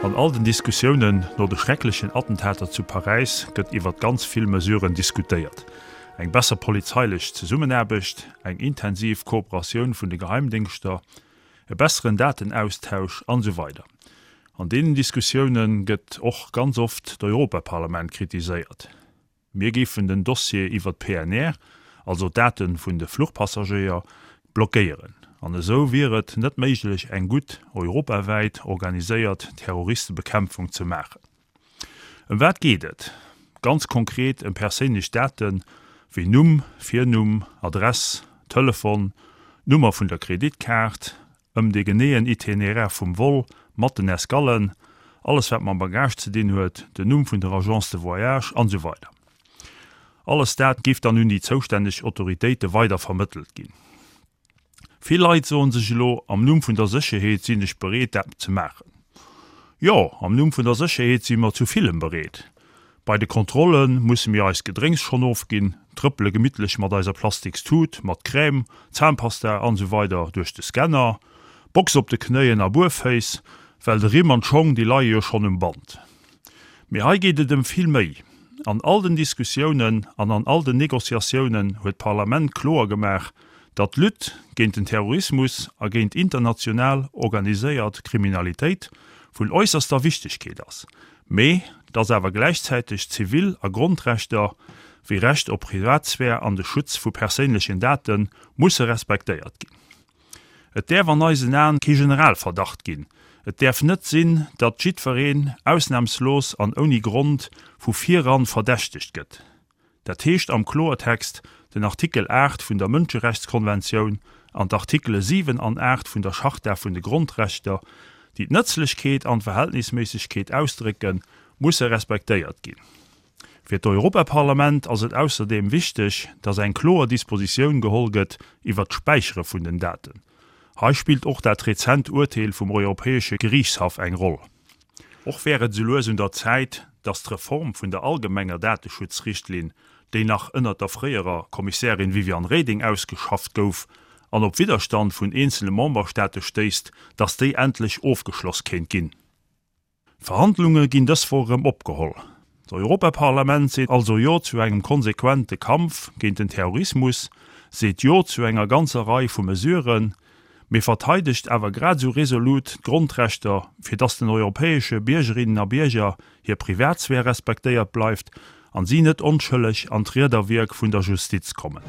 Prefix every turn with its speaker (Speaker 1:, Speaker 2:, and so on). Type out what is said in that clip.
Speaker 1: An all den Diskussiounen no de schrecklechen Attentater zu Paräis gëtt iwwert ganz vill Mesuren diskutéiert. Eng besser polizeilech Zesummenaarbecht, eng intensiv Kooperatioun vun de Geheimdéngschter, e besseren Datenaustausch an esou weider. An deenen Diskussioune gëtt och ganz oft d'Europaparlament kritiséiert. Mir géifen den Dossier iwwer d'PNR, also d'Date vun de Fluchpassagéier, blockéieren. An esou wier et net méiglech eng gutt europawäit organiséiert Terroristebekämpfung ze maachen. Ëm wat geet et? Ganz konkret ëm perséinlech Date wéi Numm, Virnumm, Adress, Telefon, d'Nummer vun der Kreditkaart, ëm de geneeën Itinéraire vum Vol mat den Escallen, alles wat mam Bagage ze dinn huet, den Numm vun der Agence de voyage an esou weider. Alles dat géif dann un déi zoustänneg Autoritéite weider vermëttelt ginn. Vill Leit soen sech elo, am Numm vun der Sécherheet sinn ech bereet dat ze maachen. Jo, am Numm vun der Sécherheet si mer zu villem bereet. Bei de Kontrolle musse mir eist Gedrénks schonn ofginn, trëppele gemittlech mat eiser plastiks Tut mat Crème, Zahnpasta an esou weider duerch de Scanner, Box op de Knéien a Buerféiss, well de Rimm an d'Schong déi leie jo schonn um Band. Mee hei geet et ëm vill méi. An all den Diskussiounen an an all den Négociatiounen huet d'Parlament kloer gemaach, datt d'Lutte géint den Terrorismus a géint international organiséiert Kriminalitéit vun äusserster Wichtegkeet ass, mee datt awer gläichzäiteg Zivil a Grondrechter wéi Recht op Privatsphär an de Schutz vu perséinlechen Date musse respektéiert ginn. Et däerf an eisen Aen kee Generalverdacht ginn. Et däerf net sinn, datt jiddwereen ausnamslos an ouni Grond vu viran verdächtegt gëtt. Dat heescht am Kloertext, den Artikel 8 vun der Mënscherechtskonventioun an d'Artikele 7 an 8 vun der Charta vun de Grondrechter, déi d'Nëtzlechkeet an d'Verhältnisméissegkeet ausdrécken, musse respektéiert ginn. Fir d'Europaparlament ass et ausserdeem wichteg, datt eng kloer Dispositioun geholl gëtt iwwert d'Späichere vun den Daten. Hei spillt och dat rezent Urteel vum Europäesche Geriichtshaff eng Roll. Och wär et esou lues un der Zäit, datt d'Reform vun der allgemenger Dateschutzrichtlinn, déi nach ënnert der fréierer Kommissärin Viviane Reding ausgeschafft gouf an op Widderstand vun eenzele Memberstaate stéisst, datt déi endlech ofgeschloss kéint ginn. D'Verhandlunge ginn dës Woch erëm opgeholl. D'Europaparlament seet also Jo zu engem konsequente Kampf géint den Terrorismus, seet Jo zu enger ganzer Rei vu Mesuren, mee verteidegt awer grad esou resolut d'Grondrechter, fir datt den europäesche Biergerinnen a Bierger hir Privatsphär respektéiert bleift an si net onschëlleg an d'Riederwierk vun der Justiz kommen.